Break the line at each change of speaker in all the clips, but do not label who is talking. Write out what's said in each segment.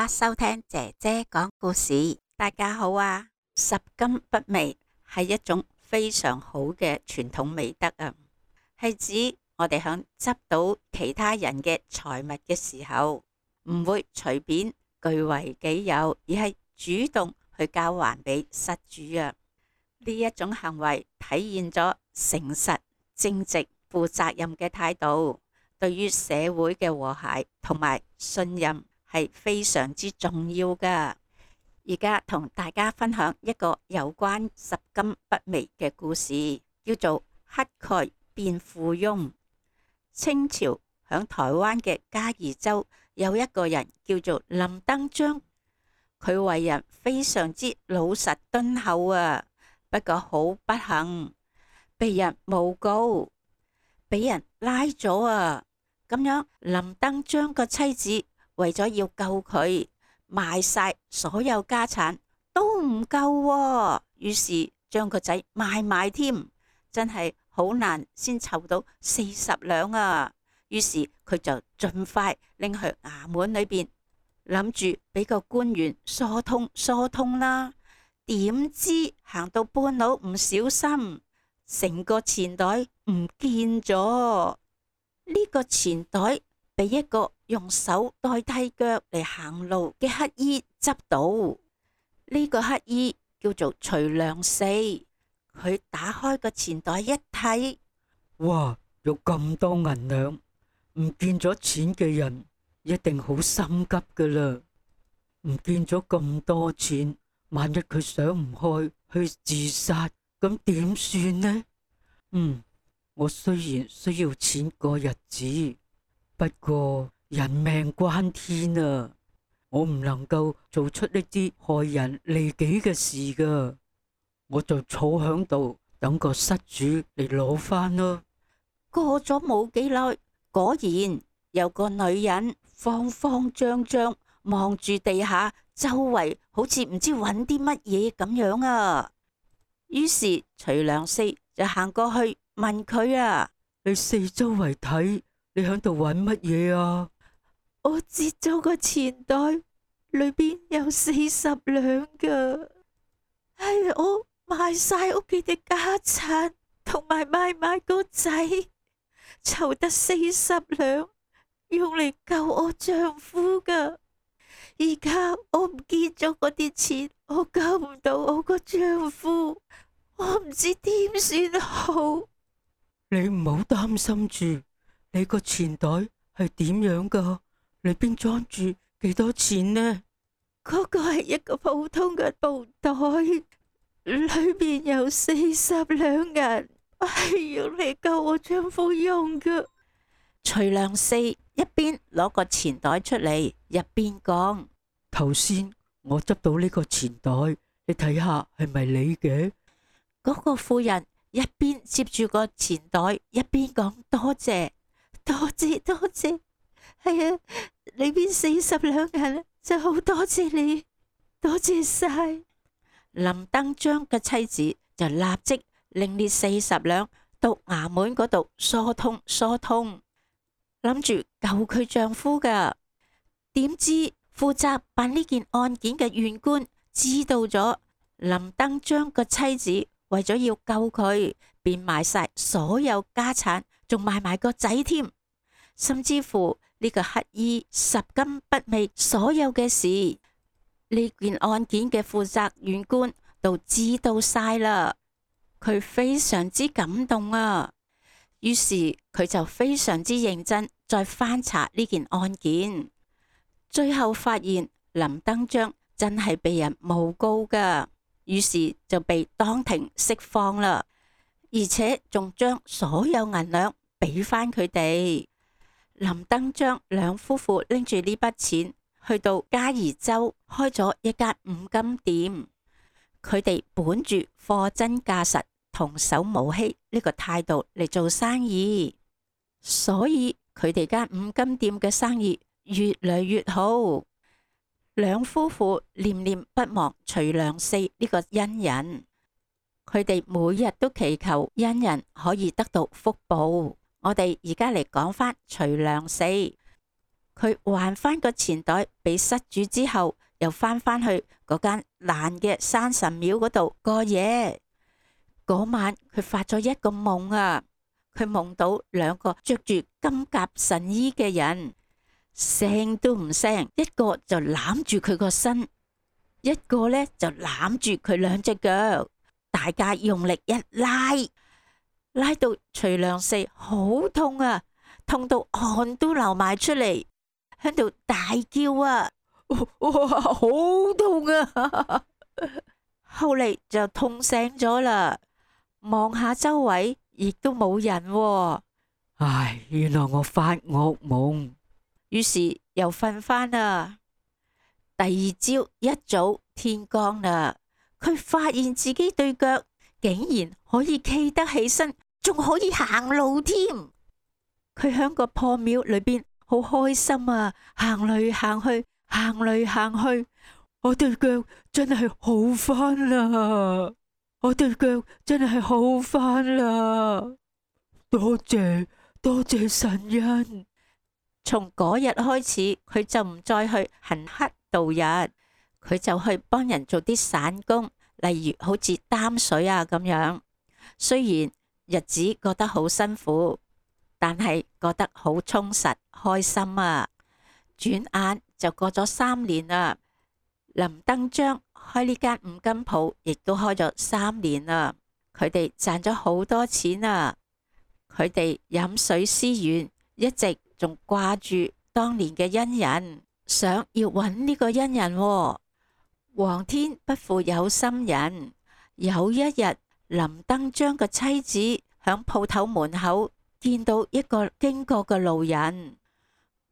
家收聽姐姐講故事。大家好啊！拾金不昧係一種非常好嘅傳統美德啊，係指我哋響執到其他人嘅財物嘅時候，唔會隨便據為己有，而係主動去交還俾失主啊。呢一種行為體現咗誠實、正直、負責任嘅態度，對於社會嘅和諧同埋信任係非常之重要噶。而家同大家分享一個有關拾金不昧嘅故事，叫做乞丐變富翁。清朝響台灣嘅嘉義州有一個人叫做林登章，佢為人非常之老實敦厚啊，不過好不幸被人誣告，俾人拉咗啊。咁樣林登章個妻子為咗要救佢，賣晒所有家產都唔夠喎，於是將個仔賣埋添，真係好難先湊到40兩啊。於是佢就盡快拎去衙門裏邊，諗住俾個官員疏通啦。點知行到半路唔小心，成個錢袋唔見咗。呢個錢袋被一個用手代替腳嚟行路嘅乞衣執到。呢個乞衣叫做徐良四，佢打開個錢袋一睇，
哇！有咁多銀兩，唔見咗錢嘅人一定好心急噶啦。唔見咗咁多錢，萬一佢想唔開去自殺，咁點算呢？我雖然需要錢過日子，不過人命關天啊，我唔能夠做出呢啲害人利己嘅事噶，我就坐響度等個失主嚟攞翻咯。
過咗冇幾耐，果然有個女人慌慌張張望住地下，周圍好似唔知揾啲乜嘢咁樣啊。於是徐良四就行過去問佢啊：
你四周圍睇，你響度揾乜嘢啊？
我截咗個錢袋，裏邊有40兩噶，係我賣晒屋企嘅家產，同埋賣埋個仔，湊得40兩，用嚟救我丈夫噶。而家我唔見咗嗰啲錢，我救唔到我個丈夫，我唔知點算好。
你唔好擔心住，你個錢袋係點樣噶？裏邊裝住幾多錢呢？
嗰個係一個普通嘅布袋，裏邊有40兩銀，係用嚟救我丈夫用嘅。徐良四一邊攞個錢袋出嚟，一邊講：
頭先我執到呢個錢袋，你睇下係咪你嘅？
嗰個婦人一邊接住個錢袋，一邊講：多謝，多謝，多謝。係啊，裏邊40兩銀，就好多謝你，多謝晒。林登章嘅妻子就立即拎呢40兩到衙門嗰度疏通，諗住救佢丈夫噶。點知負責辦呢件案件嘅縣官知道咗林登章個妻子為咗要救佢，便賣晒所有家產，仲賣埋個仔添，甚至乎呢個乞衣拾金不昧所有嘅事，呢件案件嘅負責縣官都知道晒啦。佢非常之感動啊，於是佢就非常之認真再翻查呢件案件，最後發現林登章真係被人誣告噶，於是就被當庭釋放啦，而且仲將所有銀兩俾翻佢哋。林登章兩夫婦拎住呢筆錢去到嘉義州開咗一間五金店，佢哋本住貨真價實、童叟無欺呢個態度嚟做生意，所以佢哋間五金店嘅生意越嚟越好。兩夫婦念念不忘徐良四呢個恩人，佢哋每日都祈求恩人可以得到福報。我哋而家嚟講返徐良四。佢還返個錢袋俾失主之後，又返去嗰間爛嘅山神廟嗰度過夜。嗰晚佢發咗一個夢啊，佢夢到兩個着住金甲神衣嘅人，聲都唔聲，一個就攬住佢個身，一個呢就攬住佢兩隻腳，大家用力一拉到徐良四好痛啊，痛到汗都流埋出嚟，喺度大叫啊！哇，好痛啊！後嚟就痛醒咗啦，望下周圍亦都冇人喎。
唉，原來我發惡夢。
於是又瞓返啦。第二朝一早天光啦，佢發現自己對腳竟然可以企得起身，仲可以行路添。佢喺個破廟裏邊好開心啊，行嚟行去，行嚟行去，我對腳真係好返啦！我對腳真係好返啦！多謝神恩。從嗰日開始，佢就唔再去行乞度日，佢就去幫人做啲散工，例如好似擔水啊咁樣。雖然日子覺得好辛苦，但係覺得好充實開心啊！轉眼就過咗3年啦。林登章開呢間五金鋪，亦都開咗3年啦。佢哋賺咗好多錢啊！佢哋飲水思源，一直仲掛住當年嘅恩人，想要揾呢個恩人喎。皇天不負有心人，有一日林登章嘅妻子響鋪頭門口見到一個經過嘅路人，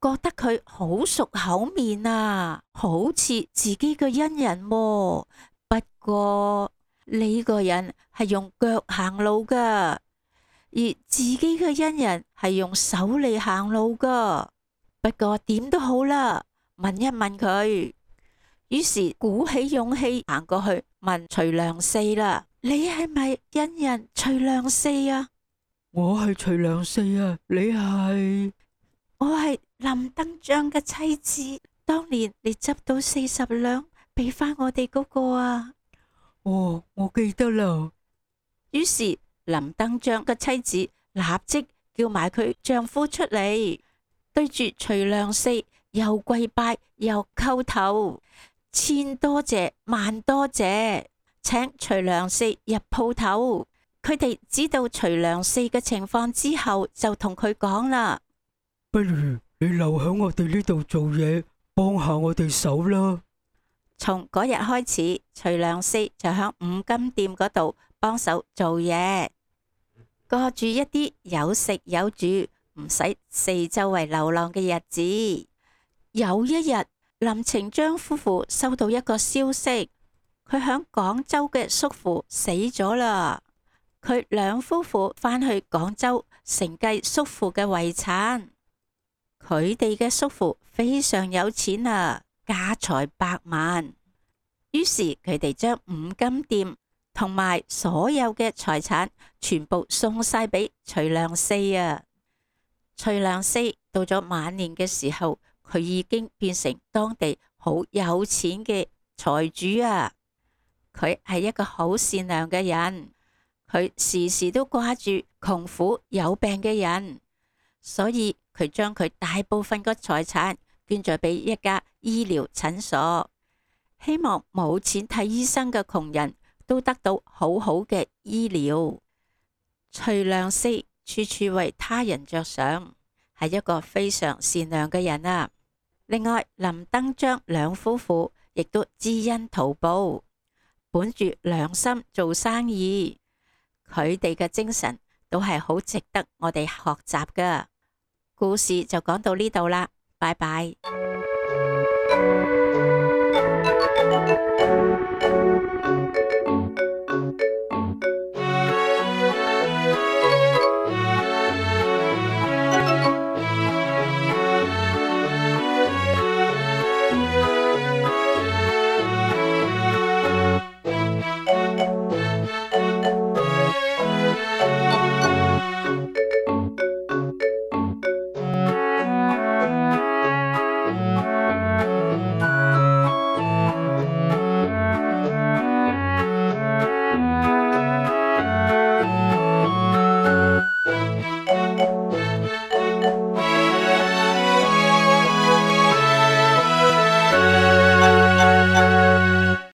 覺得佢好熟口面啊，好似自己嘅恩人喎。不過呢個人係用腳行路噶，而自己嘅恩人係用手嚟行路噶。不過點都好啦，問一問佢。於是鼓起勇氣行過去問徐良四啦：你係咪恩人徐良四啊？
我係徐良四啊，你係？
我係林登章嘅妻子，當年你執到40兩俾返我哋嗰個啊。
哦，我記得啦。
於是林登章嘅妻子立即叫埋佢丈夫出嚟，對住徐良四又跪拜又叩頭，千多謝萬多謝，請徐良四入鋪頭。佢哋知道徐良四嘅情況之後，就同佢講啦：
不如你留喺我哋呢度做嘢，幫下我哋手啦。
從嗰日開始，徐良四就喺五金店嗰度幫手做嘢，過住一啲有食有住，唔使四周圍流浪嘅日子。有一日，林程章夫婦收到一個消息，佢喺廣州嘅叔父死咗啦。佢兩夫婦返去廣州承繼叔父嘅遺產。佢哋嘅叔父非常有錢啊，家財百萬。於是佢哋將五金店同埋所有嘅財產全部送晒俾徐良四啊。徐良四到咗晚年嘅時候，佢已經變成當地好有錢嘅財主啊。佢係一個好善良嘅人，佢時時都掛住窮苦有病嘅人，所以佢將佢大部分嘅財產捐咗俾一家醫療診所，希望冇錢睇醫生嘅窮人都得到好好嘅醫療。徐良四處處為他人着想，係一個非常善良嘅人啊。另外，林登章兩夫婦亦都知恩圖報，本住良心做生意。佢哋嘅精神都係好值得我哋學習㗎。故事就講到呢度啦，拜拜。